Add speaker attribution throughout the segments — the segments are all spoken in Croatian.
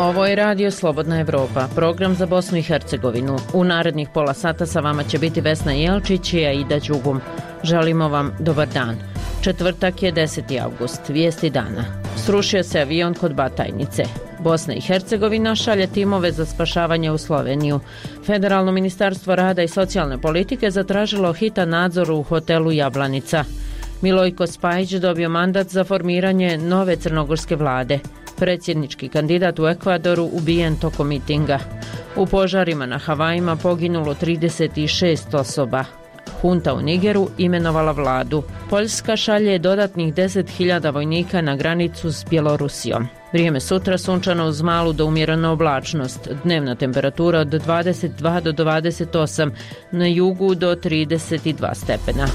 Speaker 1: Ovo je Radio Slobodna Evropa, program za Bosnu i Hercegovinu. U narednih pola sata sa vama će biti Vesna Jelčić i Aida Đugum. Želimo vam dobar dan. Četvrtak je 10. avgust, vijesti dana. Srušio se avion kod Batajnice. Bosna i Hercegovina šalje timove za spašavanje u Sloveniju. Federalno ministarstvo rada i socijalne politike zatražilo hitan nadzor u hotelu Jablanica. Milojko Spajić dobio mandat za formiranje nove crnogorske vlade. Predsjednički kandidat u Ekvadoru ubijen tokom mitinga. U požarima na Havajima poginulo 36 osoba. Hunta u Nigeru imenovala vladu. Poljska šalje dodatnih 10.000 vojnika na granicu s Bjelorusijom. Vrijeme sutra sunčano uz malu do umjerenu oblačnost. Dnevna temperatura od 22 do 28, na jugu do 32 stepena.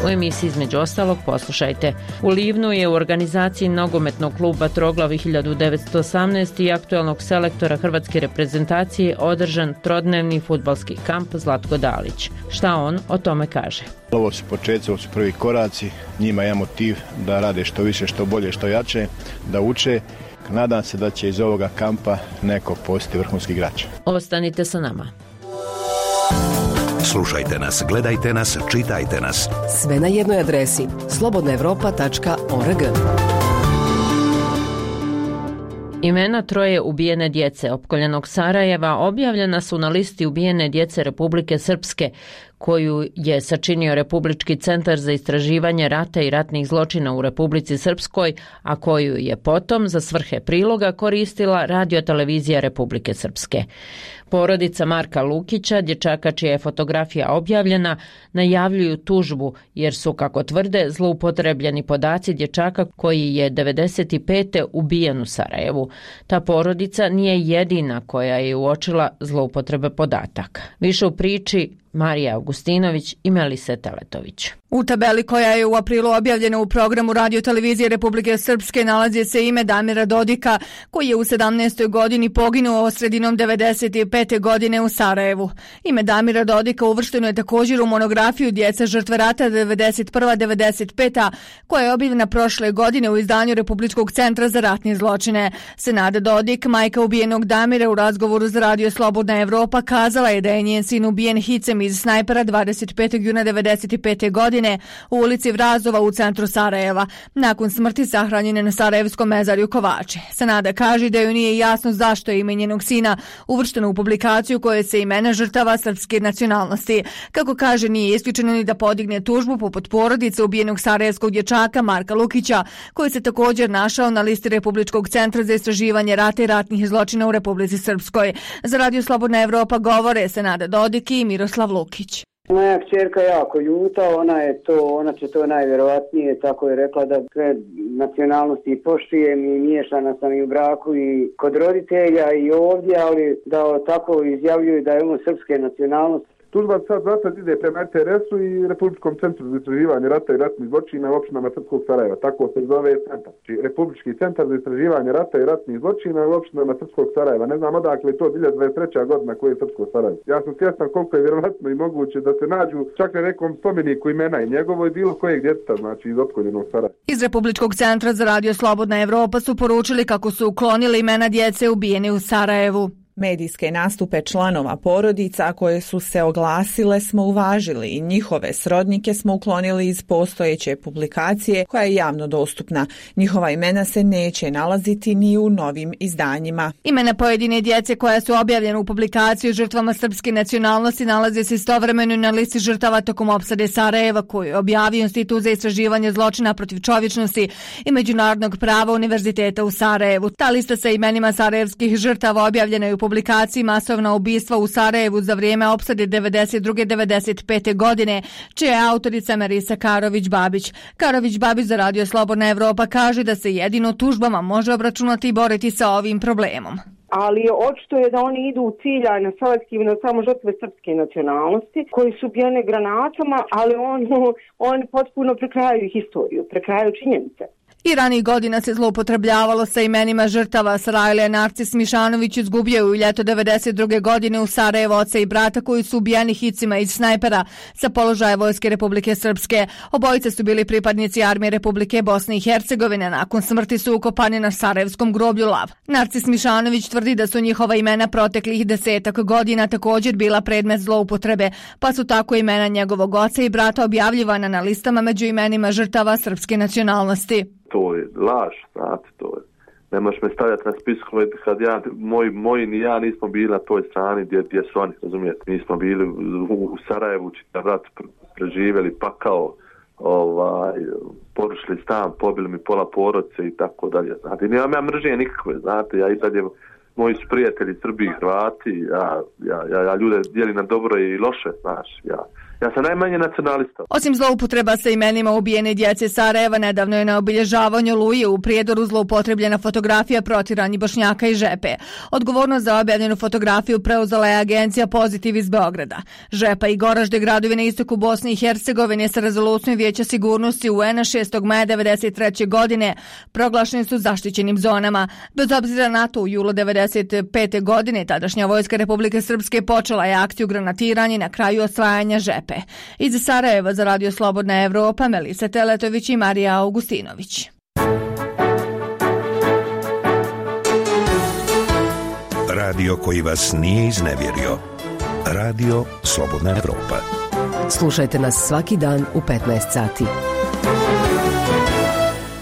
Speaker 1: U emisiji između ostalog poslušajte. U Livnu je u organizaciji nogometnog kluba Troglavi 1918 i aktualnog selektora hrvatske reprezentacije održan trodnevni fudbalski kamp Zlatko Dalić. Šta on o tome kaže?
Speaker 2: Ovo su početci, ovo su prvi koraci. Njima je motiv da rade što više, što bolje, što jače, da uče. Nadam se da će iz ovoga kampa neko postati vrhunski igrač.
Speaker 1: Ostanite sa nama.
Speaker 3: Slušajte nas, gledajte nas, čitajte nas.
Speaker 4: Sve na jednoj adresi slobodnaevropa.org.
Speaker 1: Imena troje ubijene djece opkoljenog Sarajeva objavljena su na listi ubijene djece Republike Srpske, koju je sačinio Republički centar za istraživanje rata i ratnih zločina u Republici Srpskoj, a koju je potom za svrhe priloga koristila radiotelevizija Republike Srpske. Porodica Marka Lukića, dječaka čija je fotografija objavljena, najavljuju tužbu jer su, kako tvrde, zloupotrebljeni podaci dječaka koji je 95. ubijen u Sarajevu. Ta porodica nije jedina koja je uočila zloupotrebe podataka. Više u priči Marija Augustinović i Melise Teletović.
Speaker 5: U tabeli koja je u aprilu objavljena u programu radiotelevizije Republike Srpske nalazi se ime Damira Dodika, koji je u 17. godini poginuo sredinom 95. godine u Sarajevu. Ime Damira Dodika uvršteno je također u monografiju Djeca žrtve rata 91-95, koja je objavljena prošle godine u izdanju Republičkog centra za ratne zločine. Senada Dodik, majka ubijenog Damira, u razgovoru za Radio Slobodna Evropa kazala je da je njen sin ubijen hicem iz snajpera 25. juna 95. godine u ulici Vrazova u centru Sarajeva. Nakon smrti sahranjen je na Sarajevskom mezarju Kovači. Senada kaže da joj nije jasno zašto je ime njenog sina uvršteno u publikaciju koje se imena žrtava srpske nacionalnosti. Kako kaže, nije isključeno ni da podigne tužbu poput porodice ubijenog sarajevskog dječaka Marka Lukića, koji se također našao na listi Republičkog centra za istraživanje rata i ratnih zločina u Republici Srpskoj. Za Radio Slobodna Evropa govore Senada Dodik i Miroslav Lukić.
Speaker 6: Moja kćerka jako ljuta, ona će to najvjerovatnije, tako je rekla, da sve nacionalnosti poštujem i miješana sam i u braku i kod roditelja i ovdje, ali da tako izjavljuju da je ono srpske nacionalnosti.
Speaker 7: Tužba sad ide prema RTS-u i Republičkom centru za istraživanje rata i ratnih zločina u opštinama Srpskog Sarajeva. Tako se zove centar. Republički centar za istraživanje rata i ratnih zločina u opštinama Srpskog Sarajeva. Ne znam odakle je to 2023. godina koje je Srpsko Sarajevo. Ja sam svjestan koliko je vjerovatno i moguće da se nađu čak na nekom spomeniku imena i njegovo i bilo kojeg djeteta, znači iz opkoljenog Sarajeva.
Speaker 5: Iz Republičkog centra za Radio Slobodna Evropa su poručili kako su uklonili imena djece ubijene u Sarajevu.
Speaker 8: Medijske nastupe članova porodica koje su se oglasile smo uvažili i njihove srodnike smo uklonili iz postojeće publikacije koja je javno dostupna. Njihova imena se neće nalaziti ni u novim izdanjima.
Speaker 5: Imena pojedine djece koja su objavljene u publikaciji žrtvama srpske nacionalnosti nalaze se istovremeno na listi žrtava tokom opsade Sarajeva, koju je objavio Institut za istraživanje zločina protiv čovječnosti i međunarodnog prava Univerziteta u Sarajevu. Ta lista sa imenima sarajevskih žrtava objavljena je u publikaciji Masovna ubistva u Sarajevu za vrijeme opsade 92-95. godine, čija je autorica Marisa Karović-Babić. Karović-Babić za Radio Slobodna Evropa kaže da se jedino tužbama može obračunati i boriti sa ovim problemom.
Speaker 9: Ali očito je da oni idu u ciljano selektivno samo žrtve srpske nacionalnosti koji su ubijene granatama, ali oni potpuno prekrajaju historiju, prekrajaju činjenice.
Speaker 5: I ranih godina se zloupotrebljavalo sa imenima žrtava. Sarajlija Narcis Mišanović izgubio u ljeto 92. godine u Sarajevo oca i brata koji su ubijeni hicima iz snajpera sa položaja Vojske Republike Srpske. Obojice su bili pripadnici Armije Republike Bosne i Hercegovine. Nakon smrti su ukopani na sarajevskom groblju Lav. Narcis Mišanović tvrdi da su njihova imena proteklih 10 godina također bila predmet zloupotrebe, pa su tako imena njegovog oca i brata objavljivana na listama među imenima žrtava srpske nacionalnosti.
Speaker 10: To je laž, znate, to je. Ne možeš me stavljati na spiskove kad moji ni ja nismo bili na toj strani gdje su oni, razumijete. Mi smo bili u Sarajevu, čitav rat preživjeli, pakao, porušili stan, pobili mi pola porodice i tako dalje. Znate, nemam ja mržnje nikakve, znate, ja i dalje, moji su prijatelji Srbi i Hrvati, ja ljude dijelim na dobro i loše, znaš, ja sam najmanje nacionalista.
Speaker 5: Osim zloupotreba sa imenima ubijene djece Sarajeva, nedavno je na obilježavanju Oluje u Prijedoru zloupotrebljena fotografija protiranih Bošnjaka i Žepe. Odgovornost za objavljenu fotografiju preuzela je agencija Pozitiv iz Beograda. Žepa i Goražde, gradovi na istoku Bosne i Hercegovine, sa rezolucijom Vijeća sigurnosti UN-a 6. maja 1993. godine proglašeni su zaštićenim zonama. Bez obzira na to, u julu 1995. godine tadašnja Vojska Republike Srpske počela je akciju granatiranja na kraju osvajanja Žepe. Iz Sarajeva za Radio Slobodna Evropa, Melisa Teletović i Marija Augustinović.
Speaker 3: Radio koji vas nije iznevjerio. Radio Slobodna Evropa.
Speaker 4: Slušajte nas svaki dan u 15 sati.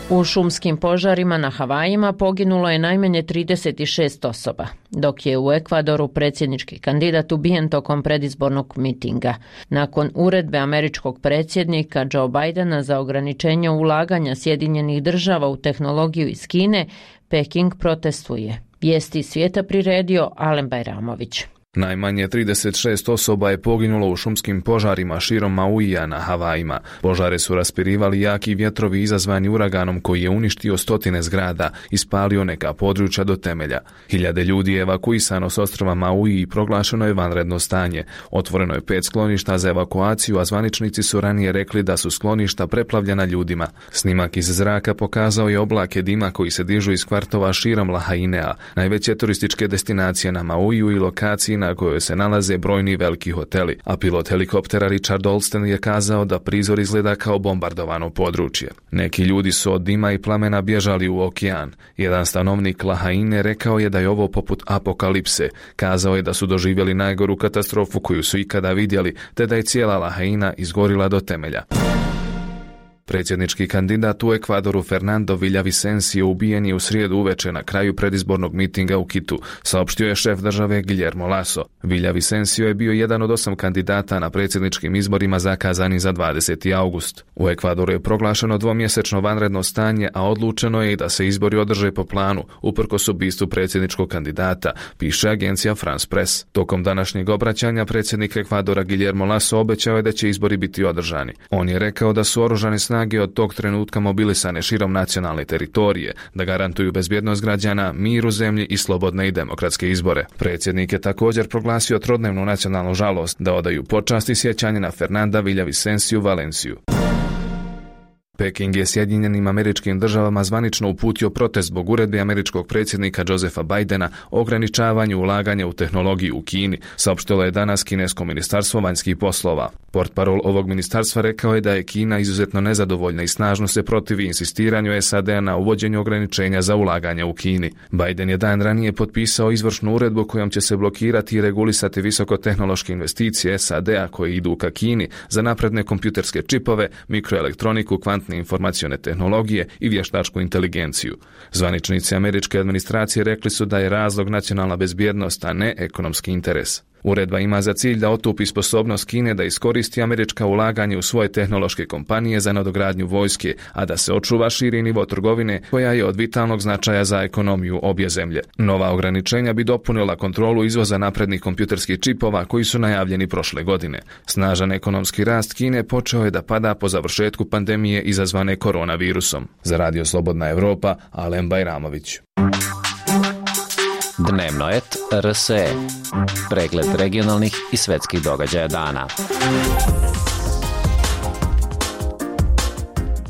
Speaker 1: U šumskim požarima na Havajima poginulo je najmanje 36 osoba, dok je u Ekvadoru predsjednički kandidat ubijen tokom predizbornog mitinga. Nakon uredbe američkog predsjednika Joe Bidena za ograničenje ulaganja Sjedinjenih država u tehnologiju iz Kine, Peking protestuje. Vijesti svijeta priredio Alen Bajramović.
Speaker 11: Najmanje 36 osoba je poginulo u šumskim požarima širom Mauija na Havajima. Požare su raspirivali jaki vjetrovi izazvani uraganom koji je uništio stotine zgrada i spalio neka područja do temelja. Hiljade ljudi je evakuisano s ostrva Maui i proglašeno je vanredno stanje. Otvoreno je 5 skloništa za evakuaciju, a zvaničnici su ranije rekli da su skloništa preplavljena ljudima. Snimak iz zraka pokazao je oblake dima koji se dižu iz kvartova širom Lahainea, najveće turističke destinacije na Mauiju i lokaciji na kojoj se nalaze brojni veliki hoteli, a pilot helikoptera Richard Olsten je kazao da prizor izgleda kao bombardovano područje. Neki ljudi su od dima i plamena bježali u okean. Jedan stanovnik Lahaine rekao je da je ovo poput apokalipse. Kazao je da su doživjeli najgoru katastrofu koju su ikada vidjeli, te da je cijela Lahaina izgorila do temelja. Predsjednički kandidat u Ekvadoru Fernando Villavicencio ubijen je u srijedu uveče na kraju predizbornog mitinga u Kitu, saopštio je šef države Guillermo Lasso. Villavicencio je bio jedan od 8 kandidata na predsjedničkim izborima zakazani za 20. august. U Ekvadoru je proglašeno dvomjesečno vanredno stanje, a odlučeno je i da se izbori održe po planu, uprkos ubistvu predsjedničkog kandidata, piše agencija France Press. Tokom današnjeg obraćanja predsjednik Ekvadora Guillermo Lasso obećao je da će izbori biti održani. On je rekao da su oružane snage od tog trenutka mobilisane širom nacionalne teritorije, da garantuju bezbjednost građana, mir u zemlji i slobodne i demokratske izbore. Predsjednik je također proglasio trodnevnu nacionalnu žalost, da odaju počast i sjećanje na Fernanda Villavicenciu Valenciju. Peking je Sjedinjenim Američkim Državama zvanično uputio protest zbog uredbe američkog predsjednika Josepha Bidena o ograničavanju ulaganja u tehnologiju u Kini, saopštilo je danas kinesko ministarstvo vanjskih poslova. Portparol ovog ministarstva rekao je da je Kina izuzetno nezadovoljna i snažno se protivi insistiranju SAD-a na uvođenju ograničenja za ulaganja u Kini. Biden je dan ranije potpisao izvršnu uredbu kojom će se blokirati i regulisati visokotehnološke investicije SAD-a koje idu ka Kini za napredne kompjuterske čipove, mikroelektroniku, kvantne informacione tehnologije i vještačku inteligenciju. Zvaničnici američke administracije rekli su da je razlog nacionalna bezbjednost, a ne ekonomski interes. Uredba ima za cilj da otupi sposobnost Kine da iskoristi američka ulaganja u svoje tehnološke kompanije za nadogradnju vojske, a da se očuva širi nivo trgovine koja je od vitalnog značaja za ekonomiju obje zemlje. Nova ograničenja bi dopunila kontrolu izvoza naprednih kompjuterskih čipova koji su najavljeni prošle godine. Snažan ekonomski rast Kine počeo je da pada po završetku pandemije izazvane koronavirusom. Za Radio Slobodna Evropa, Alen Bajramović.
Speaker 12: Dnevno et RSE. Pregled regionalnih i svetskih događaja dana.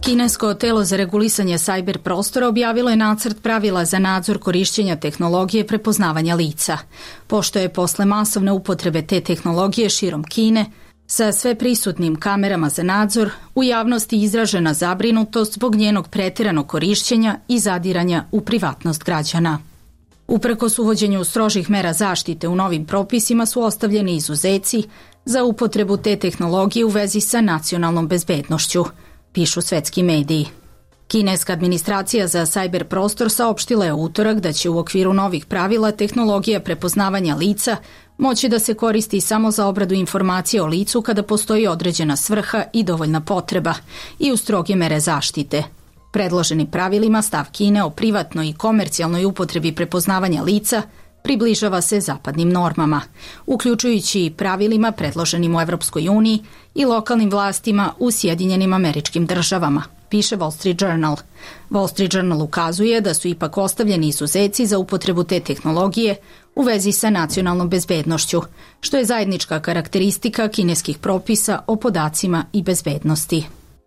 Speaker 13: Kinesko telo za regulisanje sajber prostora objavilo je nacrt pravila za nadzor korišćenja tehnologije prepoznavanja lica. Pošto je posle masovne upotrebe te tehnologije širom Kine, sa sve prisutnim kamerama za nadzor, u javnosti izražena zabrinutost zbog njenog pretjeranog korišćenja i zadiranja u privatnost građana. Uprkos uvođenju strožih mera zaštite u novim propisima su ostavljeni izuzeci za upotrebu te tehnologije u vezi sa nacionalnom bezbednošću, pišu svetski mediji. Kineska administracija za sajber prostor saopštila je u utorak da će u okviru novih pravila tehnologija prepoznavanja lica moći da se koristi samo za obradu informacije o licu kada postoji određena svrha i dovoljna potreba i u stroge mere zaštite. Predloženi pravilima stav Kine o privatnoj i komercijalnoj upotrebi prepoznavanja lica približava se zapadnim normama, uključujući i pravilima predloženim u Evropskoj uniji i lokalnim vlastima u Sjedinjenim Američkim Državama, piše Wall Street Journal. Wall Street Journal ukazuje da su ipak ostavljeni izuzeci za upotrebu te tehnologije u vezi sa nacionalnom bezbednošću, što je zajednička karakteristika kineskih propisa o podacima i bezbednosti.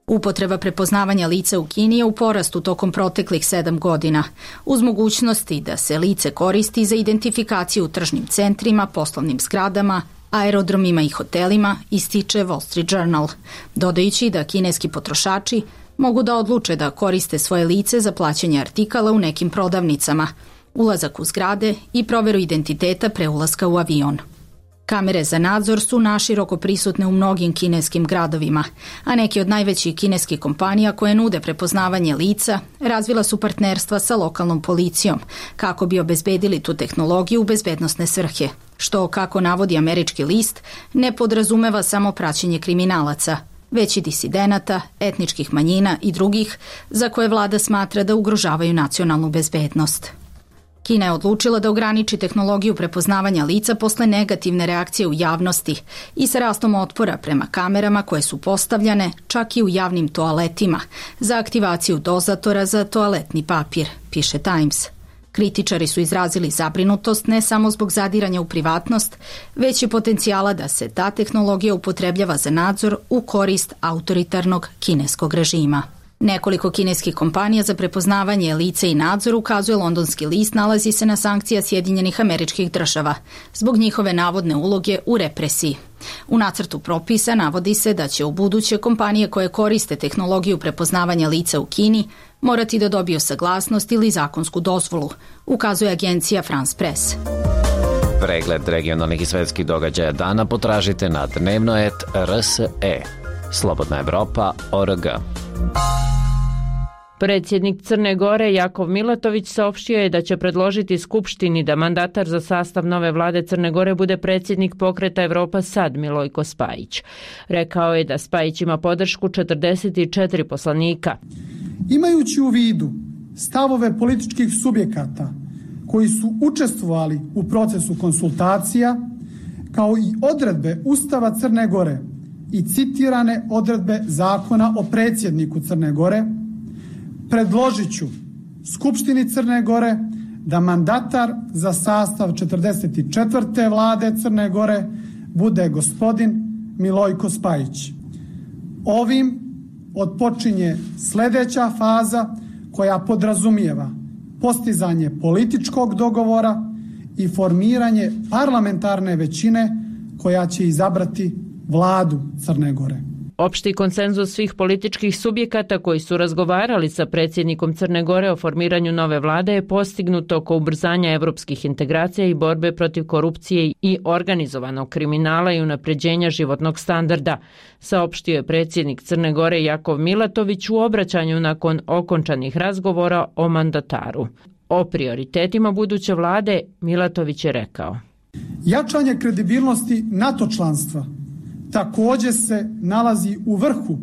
Speaker 13: Upotreba prepoznavanja lica u Kini je u porastu tokom proteklih 7 godina, uz mogućnosti da se lice koristi za identifikaciju u tržnim centrima, poslovnim zgradama, aerodromima i hotelima, ističe Wall Street Journal, dodajući da kineski potrošači mogu da odluče da koriste svoje lice za plaćanje artikala u nekim prodavnicama, ulazak u zgrade i proveru identiteta pre ulaska u avion. Kamere za nadzor su naširoko prisutne u mnogim kineskim gradovima, a neke od najvećih kineskih kompanija koje nude prepoznavanje lica razvila su partnerstva sa lokalnom policijom kako bi obezbedili tu tehnologiju u bezbednosne svrhe, što, kako navodi američki list, ne podrazumeva samo praćenje kriminalaca, već i disidenata, etničkih manjina i drugih za koje vlada smatra da ugrožavaju nacionalnu bezbednost. Kina je odlučila da ograniči tehnologiju prepoznavanja lica posle negativne reakcije u javnosti i sa rastom otpora prema kamerama koje su postavljane čak i u javnim toaletima za aktivaciju dozatora za toaletni papir, piše Times. Kritičari su izrazili zabrinutost ne samo zbog zadiranja u privatnost, već i potencijala da se ta tehnologija upotrebljava za nadzor u korist autoritarnog kineskog režima. Nekoliko kineskih kompanija za prepoznavanje lica i nadzor, ukazuje londonski list, nalazi se na sankcija Sjedinjenih Američkih Država zbog njihove navodne uloge u represiji. U nacrtu propisa navodi se da će u buduće kompanije koje koriste tehnologiju prepoznavanja lica u Kini morati da dobiju saglasnost ili zakonsku dozvolu, ukazuje agencija France Press.
Speaker 12: Pregled regionalnih i svetskih događaja dana potražite na dnevnoet.rse. Slobodna Evropa.org.
Speaker 1: Predsjednik Crne Gore Jakov Milatović saopštio je da će predložiti Skupštini da mandatar za sastav nove vlade Crne Gore bude predsjednik pokreta Evropa Sad Milojko Spajić. Rekao je da Spajić ima podršku 44 poslanika.
Speaker 14: Imajući u vidu stavove političkih subjekata koji su učestvovali u procesu konsultacija, kao i odredbe Ustava Crne Gore i citirane odredbe Zakona o predsjedniku Crne Gore, predložit ću Skupštini Crne Gore da mandatar za sastav 44. vlade Crne Gore bude gospodin Milojko Spajić. Ovim otpočinje sljedeća faza koja podrazumijeva postizanje političkog dogovora i formiranje parlamentarne većine koja će izabrati vladu Crne Gore.
Speaker 1: Opšti konsenzus svih političkih subjekata koji su razgovarali sa predsjednikom Crne Gore o formiranju nove vlade je postignut oko ubrzanja evropskih integracija i borbe protiv korupcije i organizovanog kriminala i unapređenja životnog standarda, saopštio je predsjednik Crne Gore Jakov Milatović u obraćanju nakon okončanih razgovora o mandataru. O prioritetima buduće vlade Milatović je rekao:
Speaker 14: jačanje kredibilnosti NATO članstva također se nalazi u vrhu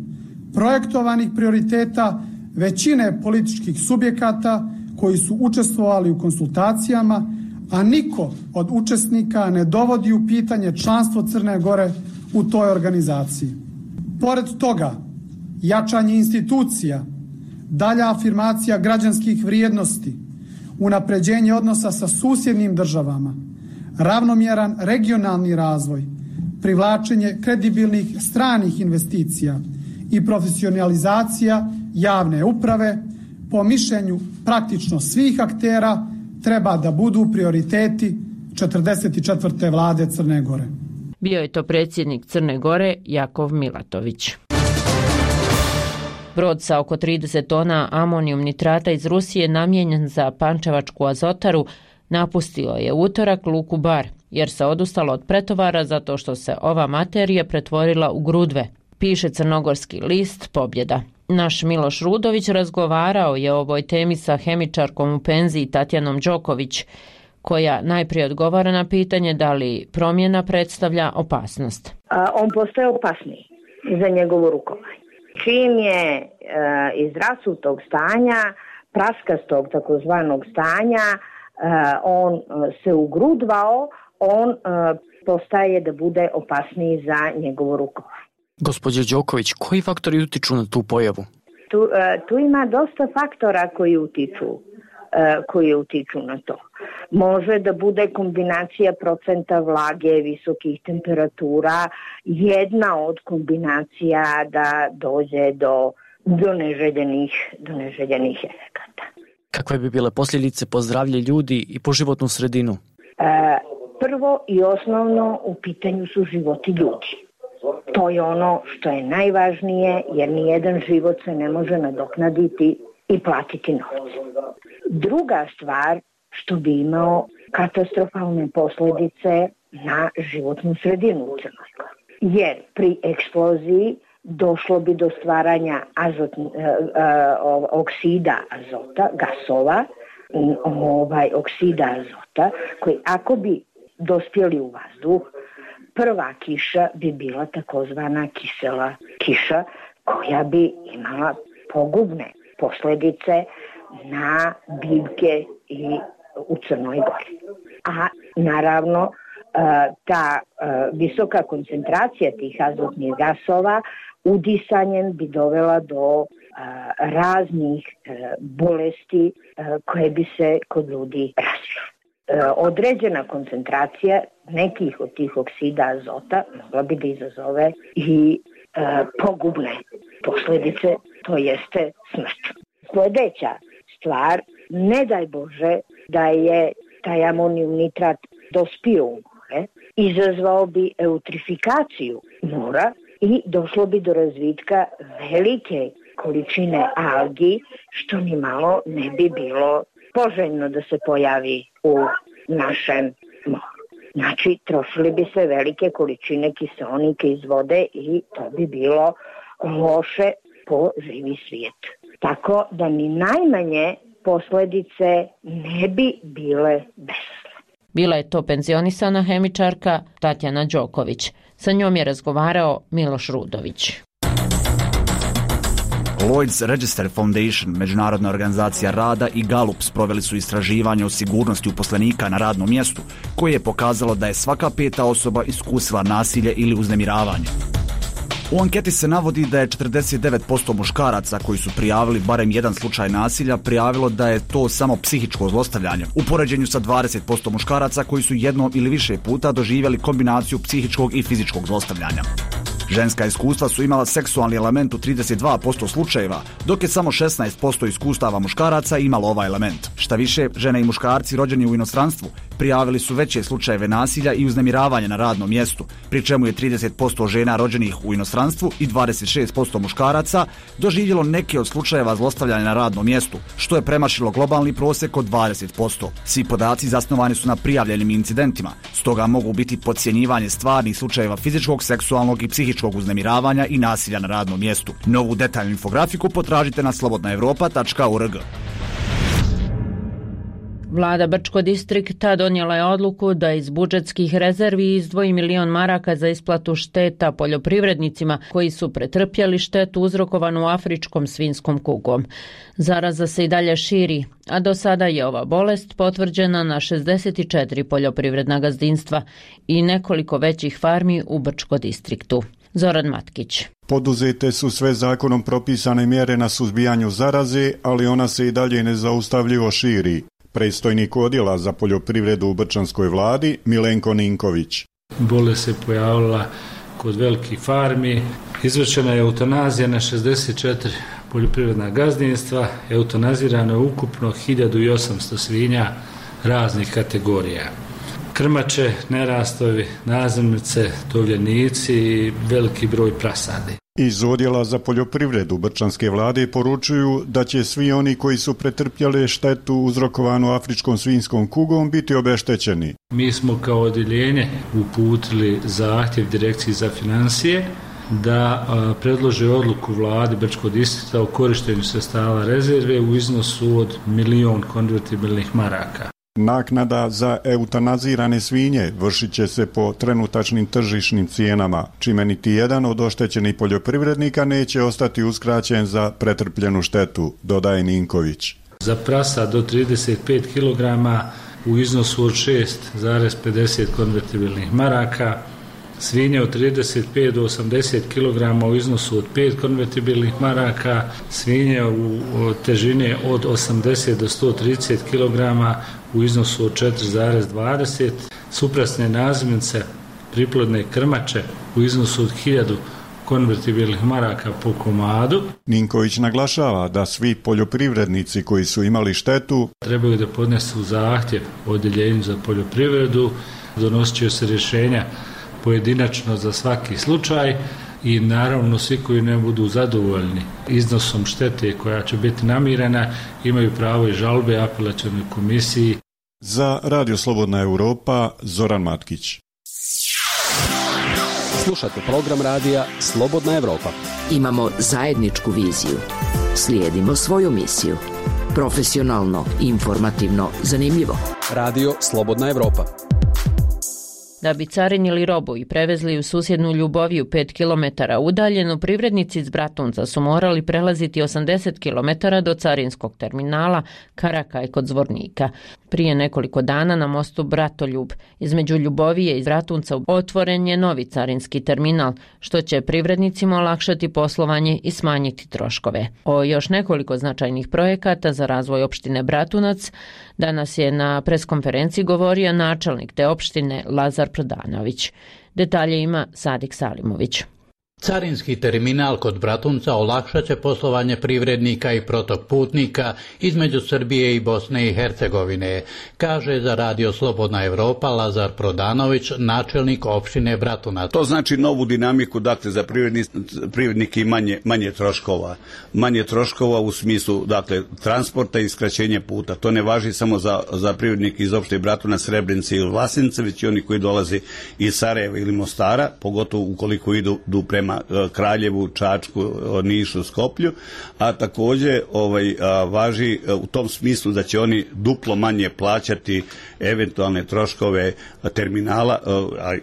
Speaker 14: projektovanih prioriteta većine političkih subjekata koji su učestvovali u konsultacijama, a niko od učesnika ne dovodi u pitanje članstvo Crne Gore u toj organizaciji. Pored toga, jačanje institucija, dalja afirmacija građanskih vrijednosti, unapređenje odnosa sa susjednim državama, ravnomjeran regionalni razvoj, privlačenje kredibilnih stranih investicija i profesionalizacija javne uprave, po mišljenju praktično svih aktera, treba da budu prioriteti 44. vlade Crne Gore.
Speaker 1: Bio je to predsjednik Crne Gore Jakov Milatović. Brod sa oko 30 tona amonijum nitrata iz Rusije namijenjen za pančevačku Azotaru napustio je utorak luku Bar, jer se odustalo od pretovara zato što se ova materija pretvorila u grudve, piše crnogorski list Pobjeda. Naš Miloš Rudović razgovarao je o ovoj temi sa hemičarkom u penziji Tatjanom Đoković, koja najprije odgovara na pitanje da li promjena predstavlja opasnost.
Speaker 15: On postaje opasniji za njegovo rukovanje. Čim je iz rasutog stanja, praskastog takozvanog stanja, on se ugrudvao, on postaje da bude opasniji za njegovo rukovanje.
Speaker 16: Gospođo Đoković, koji faktori utiču na tu pojavu?
Speaker 15: Tu ima dosta faktora koji utiču na to. Može da bude kombinacija procenta vlage, visokih temperatura, jedna od kombinacija da dođe do neželjenih efekata.
Speaker 16: Kakve bi bile posljedice po zdravlje ljudi i po životnu sredinu?
Speaker 15: Prvo i osnovno u pitanju su životi ljudi. To je ono što je najvažnije, jer nijedan život se ne može nadoknaditi i platiti novce. Druga stvar, što bi imao katastrofalne posljedice na životnu sredinu u Crnoj Gori. Jer pri eksploziji došlo bi do stvaranja oksida azota, gasova, oksida azota, koji ako bi dospjeli u vazduh, prva kiša bi bila takozvana kisela kiša, koja bi imala pogubne posljedice na biljke i u Crnoj Gori. A naravno ta visoka koncentracija tih azotnih gasova udisanjem bi dovela do raznih bolesti koje bi se kod ljudi razvile. Određena koncentracija nekih od tih oksida azota mogla bi da izazove i pogubne posljedice, to jeste smrt. Sljedeća stvar, ne daj Bože da je taj amonijum nitrat dospio u more, izazvao bi eutrifikaciju mora i došlo bi do razvitka velike količine algi, što ni malo ne bi bilo poželjno da se pojavi u našem moru. Znači, trošili bi se velike količine kiseonika iz vode i to bi bilo loše po živi svijet. Tako da ni najmanje posljedice ne bi bile besne.
Speaker 1: Bila je to penzionisana hemičarka Tatjana Đoković. Sa njom je razgovarao Miloš Rudović.
Speaker 17: Lloyd's Register Foundation, međunarodna organizacija rada, i Gallup sproveli su istraživanje o sigurnosti uposlenika na radnom mjestu, koje je pokazalo da je svaka 5. osoba iskusila nasilje ili uznemiravanje. U anketi se navodi da je 49% muškaraca koji su prijavili barem jedan slučaj nasilja prijavilo da je to samo psihičko zlostavljanje, u poređenju sa 20% muškaraca koji su jednom ili više puta doživjeli kombinaciju psihičkog i fizičkog zlostavljanja. Ženska iskustva su imala seksualni element u 32% slučajeva, dok je samo 16% iskustava muškaraca imalo ovaj element. Šta više, žene i muškarci rođeni u inostranstvu prijavili su veće slučajeve nasilja i uznemiravanja na radnom mjestu, pri čemu je 30% žena rođenih u inostranstvu i 26% muškaraca doživjelo neke od slučajeva zlostavljanja na radnom mjestu, što je premašilo globalni prosjek od 20%. Svi podaci zasnovani su na prijavljenim incidentima, stoga mogu biti podcjenjivanje stvarnih slučajeva fizičkog, seksualnog i psihičkog uznemiravanja i nasilja na radnom mjestu. Novu detaljnu infografiku potražite na slobodnaevropa.org.
Speaker 1: Vlada Brčko distrikta donijela je odluku da iz budžetskih rezervi izdvoji 1 milion maraka za isplatu šteta poljoprivrednicima koji su pretrpjeli štetu uzrokovanu afričkom svinjskom kugom. Zaraza se i dalje širi, a do sada je ova bolest potvrđena na 64 poljoprivredna gazdinstva i nekoliko većih farmi u Brčko distriktu. Zoran Matkić.
Speaker 18: Poduzete su sve zakonom propisane mjere na suzbijanju zaraze, ali ona se i dalje nezaustavljivo širi. Predstojnik odjela za poljoprivredu u Brčanskoj vladi Milenko Ninković.
Speaker 19: Bolest se pojavila kod velikih farmi. Izvršena je eutanazija na 64 poljoprivredna gazdinstva, eutanazirano je ukupno 1800 svinja raznih kategorija. Krmače, nerastovi, nazimnice, tovljenici i veliki broj prasadi.
Speaker 18: Iz Odjela za poljoprivredu Brčanske vlade poručuju da će svi oni koji su pretrpjeli štetu uzrokovanu afričkom svinjskom kugom biti obeštećeni.
Speaker 19: Mi smo kao odjeljenje uputili zahtjev Direkciji za financije da predlože odluku vladi Brčkog distrikta o korištenju sredstava rezerve u iznosu od 1.000.000 konvertibilnih maraka.
Speaker 18: Naknada za eutanazirane svinje vršit će se po trenutačnim tržišnim cijenama, čime niti jedan od oštećenih poljoprivrednika neće ostati uskraćen za pretrpljenu štetu, dodaje Ninković.
Speaker 19: Za prasa do 35 kg u iznosu od 6,50 konvertibilnih maraka, svinje od 35 do 80 kg u iznosu od 5 konvertibilnih maraka, svinje u težine od 80 do 130 kg u iznosu od 4,20, suprasne nazimnice, priplodne krmače u iznosu od 1000 konvertibilnih maraka po komadu.
Speaker 18: Ninković naglašava da svi poljoprivrednici koji su imali štetu
Speaker 19: trebaju da podnesu zahtjev odjeljenju za poljoprivredu, donosit će se rješenja pojedinačno za svaki slučaj i naravno svi koji ne budu zadovoljni iznosom štete koja će biti namirena imaju pravo i žalbe apelacionoj komisiji.
Speaker 18: Za Radio Slobodna Europa, Zoran Matkić.
Speaker 20: Slušate program radija Slobodna Europa.
Speaker 21: Imamo zajedničku viziju. Slijedimo svoju misiju. Profesionalno, informativno, zanimljivo.
Speaker 20: Radio Slobodna Europa.
Speaker 1: Da bi carinili robu i prevezli u susjednu Ljuboviju 5 km udaljenu, privrednici iz Bratunca su morali prelaziti 80 km do carinskog terminala Karakaj kod Zvornika. Prije nekoliko dana na mostu Bratoljub između Ljubovije i Bratunca otvoren je novi carinski terminal, što će privrednicima olakšati poslovanje i smanjiti troškove. O još nekoliko značajnih projekata za razvoj opštine Bratunac danas je na preskonferenciji govorio načelnik te opštine Lazar Prodanović. Detalje ima Sadik Salimović.
Speaker 22: Carinski terminal kod Bratunca olakšat će poslovanje privrednika i protok putnika između Srbije i Bosne i Hercegovine, kaže za Radio Slobodna Europa Lazar Prodanović, načelnik opštine Bratunac.
Speaker 23: To znači novu dinamiku, dakle, za privrednike i manje troškova. Manje troškova u smislu, dakle, transporta i skraćenja puta. To ne važi samo za privrednike iz opštine Bratunac, Srebrenice ili Vlasince, već i oni koji dolaze iz Sarajeva ili Mostara, pogotovo ukoliko idu prema Kraljevu, Čačku, Nišu, Skoplju, a također važi u tom smislu da će oni duplo manje plaćati eventualne troškove terminala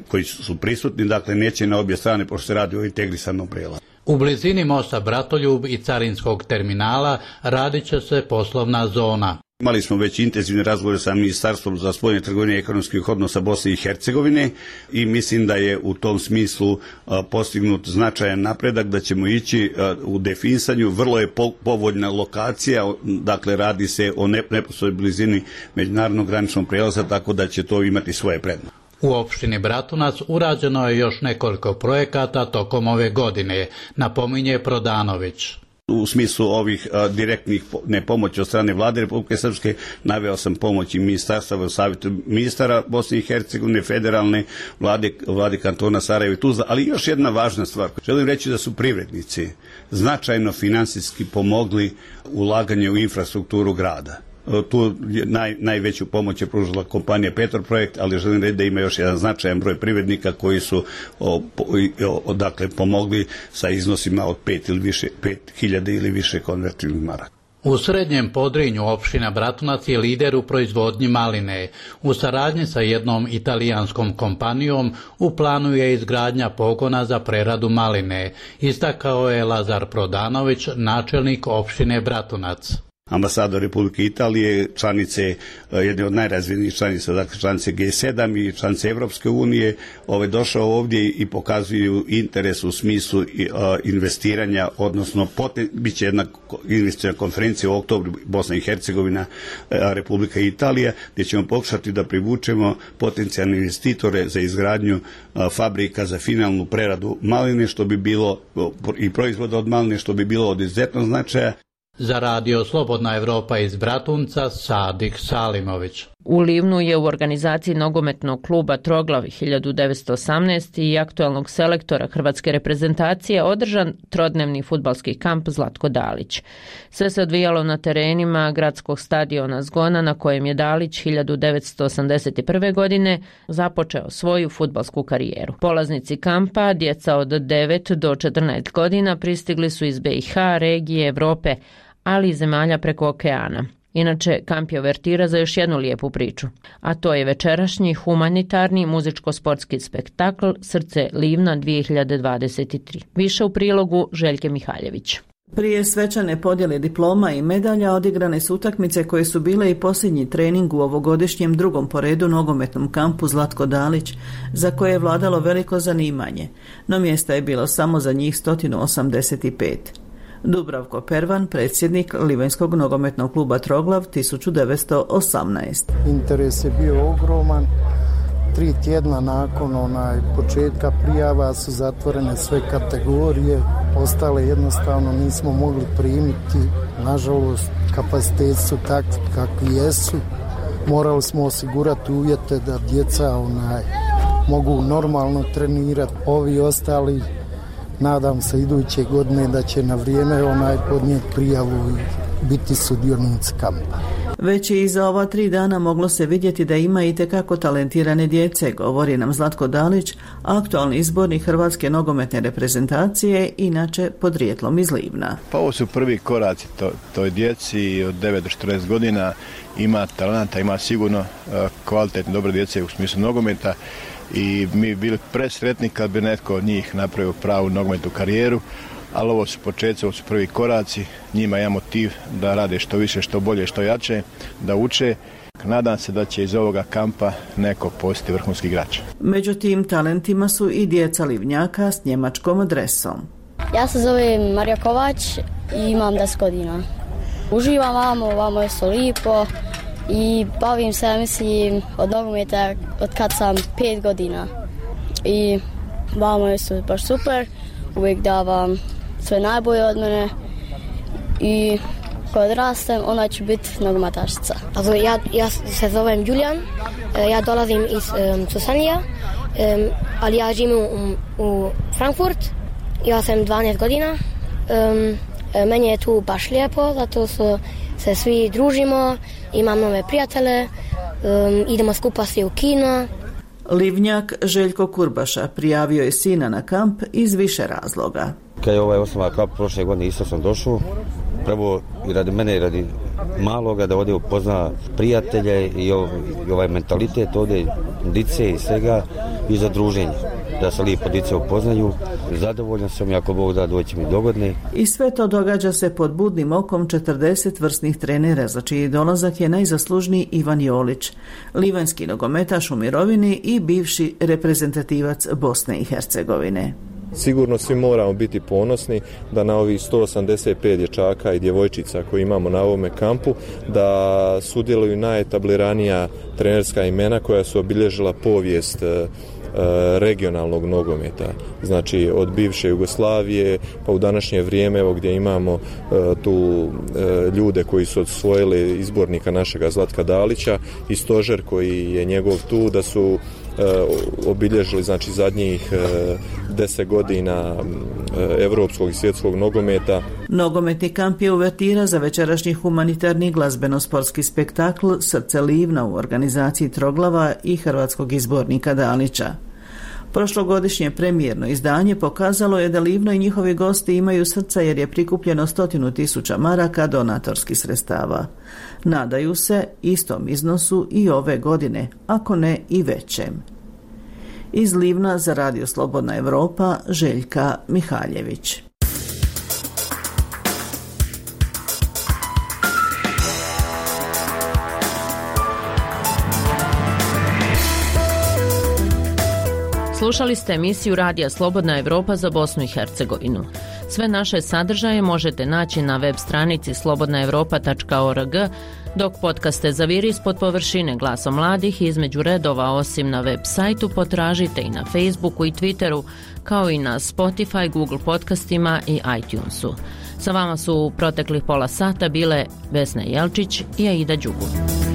Speaker 23: koji su prisutni, dakle neće na obje strane, pošto se radi o integrisanom prelazu.
Speaker 22: U blizini mosta Bratoljub i carinskog terminala radit će se poslovna zona.
Speaker 23: Imali smo već intenzivne razgovore sa Ministarstvom za spoljne trgovine i ekonomskih odnosa Bosne i Hercegovine i mislim da je u tom smislu postignut značajan napredak, da ćemo ići u definisanju. Vrlo je povoljna lokacija, dakle radi se o neposrednoj blizini međunarodnog graničnog prijelaza, tako da će to imati svoje prednosti.
Speaker 22: U opštini Bratunac urađeno je još nekoliko projekata tokom ove godine, napominje Prodanović.
Speaker 23: U smislu ovih direktnih pomoći od strane vlade Republike Srpske naveo sam pomoć i ministarstva, savjetu ministara Bosne i Hercegovine, federalne vlade kantona Sarajevo i Tuzla, ali još jedna važna stvar. Želim reći da su privrednici značajno finansijski pomogli ulaganje u infrastrukturu grada. Tu najveću pomoć je pružila kompanija Petroprojekt, ali želim reći da ima još jedan značajan broj privrednika koji su dakle pomogli sa iznosima od 5.000 ili više konvertibilnih maraka.
Speaker 22: U Srednjem Podrinju opština Bratunac je lider u proizvodnji maline. U saradnji sa jednom italijanskom kompanijom u planu je izgradnja pogona za preradu maline, istakao je Lazar Prodanović, načelnik opštine Bratunac.
Speaker 23: ambasador Republike Italije, članice, jedne od najrazvijenijih članica, dakle članice G7 i članice Evropske unije, došao ovdje i pokazuju interes u smislu investiranja, odnosno bit će jedna investicijna konferencija u oktobru Bosna i Hercegovina, Republika Italija, gdje ćemo pokušati da privučemo potencijalne investitore za izgradnju fabrika za finalnu preradu maline, što bi bilo i proizvoda od maline, što bi bilo od izuzetnog značaja.
Speaker 22: Za Radio Slobodna Evropa iz Bratunca, Sadik Salimović.
Speaker 1: U Livnu je u organizaciji nogometnog kluba Troglav 1918 i aktualnog selektora hrvatske reprezentacije održan trodnevni fudbalski kamp Zlatko Dalić. Sve se odvijalo na terenima gradskog stadiona Zgona, na kojem je Dalić 1981. godine započeo svoju fudbalsku karijeru. Polaznici kampa, djeca od 9 do 14 godina, pristigli su iz BiH, regije, Evrope, ali i zemalja preko okeana. Inače, kamp je uvertira za još jednu lijepu priču, a to je večerašnji humanitarni muzičko-sportski spektakl Srce Livna 2023. Više u prilogu Željke Mihaljević.
Speaker 2: Prije svečane podjele diploma i medalja odigrane su utakmice koje su bile i posljednji trening u ovogodišnjem drugom po redu nogometnom kampu Zlatko Dalić, za koje je vladalo veliko zanimanje, no mjesta je bilo samo za njih 185. Dubravko Pervan, predsjednik Livanjskog nogometnog kluba Troglav 1918.
Speaker 6: Interes je bio ogroman. 3 tjedna nakon početka prijava su zatvorene sve kategorije. Ostale jednostavno nismo mogli primiti. Nažalost, kapaciteti su takvi kakvi jesu. Morali smo osigurati uvjete da djeca mogu normalno trenirati. Ovi ostali, nadam se iduće godine da će na vrijeme podnijeti prijavu i biti sudionici kampa.
Speaker 2: Već i iza ova 3 dana moglo se vidjeti da ima itekako talentirane djece, govori nam Zlatko Dalić, aktualni izbornik hrvatske nogometne reprezentacije, inače podrijetlom iz Livna.
Speaker 7: Pa ovo su prvi koraci toj djeci od 9 do 14 godina, ima talenta, ima sigurno kvalitetne dobre djece u smislu nogometa. I mi bili presretni kad bi netko od njih napravio pravu nogometnu karijeru, ali ovo su početci, ovo su prvi koraci, njima je motiv da rade što više, što bolje, što jače, da uče. Nadam se da će iz ovoga kampa neko postati vrhunski igrač.
Speaker 2: Među tim talentima su i djeca Livnjaka s njemačkom adresom.
Speaker 24: Ja se zovem Marija Kovač i imam 10 godina. Uživam vamo je so lipo. I bavim se, mislim, od nogometa od kad sam 5 godina. I vamo je su baš super, uvijek davam sve najbolje od mene i kad rastem, ona ću biti nogometašica.
Speaker 25: Also, ja se zovem Julian, ja dolazim iz Susanija, ali ja živim u Frankfurt, ja sam 12 godina. Meni je tu baš lijepo, zato se svi družimo, imam nove prijatelje, idemo skupa svi u kino.
Speaker 2: Livnjak Željko Kurbaša prijavio je sina na kamp iz više razloga.
Speaker 26: Kad je osnova kamp prošle godine isto sam došao, prvo i radi mene i radi maloga da ovdje upozna prijatelje i ovaj mentalitet ovdje, dice i svega i za druženje. Da se lijepo dice upoznaju, zadovoljan sam i ako Bog da doći mi dogodne.
Speaker 2: I sve to događa se pod budnim okom 40 vrsnih trenera, za čiji dolazak je najzaslužniji Ivan Jolić, livanjski nogometaš u mirovini i bivši reprezentativac Bosne i Hercegovine.
Speaker 27: Sigurno svi moramo biti ponosni da na ovih 185 dječaka i djevojčica koji imamo na ovome kampu da sudjeluju najetabliranija trenerska imena koja su obilježila povijest regionalnog nogometa, znači od bivše Jugoslavije pa u današnje vrijeme, evo gdje imamo tu ljude koji su osvojili izbornika našega Zlatka Dalića i stožer koji je njegov tu, da su obilježili znači zadnjih 10 godina evropskog i svjetskog nogometa.
Speaker 2: Nogometni kamp je uvertira za večerašnji humanitarni glazbeno-sportski spektakl Srce Livna u organizaciji Troglava i hrvatskog izbornika Dalića. Prošlogodišnje premijerno izdanje pokazalo je da Livno i njihovi gosti imaju srca jer je prikupljeno 100.000 maraka donatorskih sredstava. Nadaju se istom iznosu i ove godine, ako ne i većem. Iz Livna za Radio Slobodna Evropa, Željka Mihaljević.
Speaker 1: Slušali ste emisiju Radija Slobodna Evropa za Bosnu i Hercegovinu. Sve naše sadržaje možete naći na web stranici slobodnaevropa.org, dok podcaste Zaviri ispod površine Glasa mladih između redova osim na web sajtu potražite i na Facebooku i Twitteru, kao i na Spotify, Google podcastima i iTunesu. Sa vama su u proteklih pola sata bile Vesna Jelčić i Aida Đugum.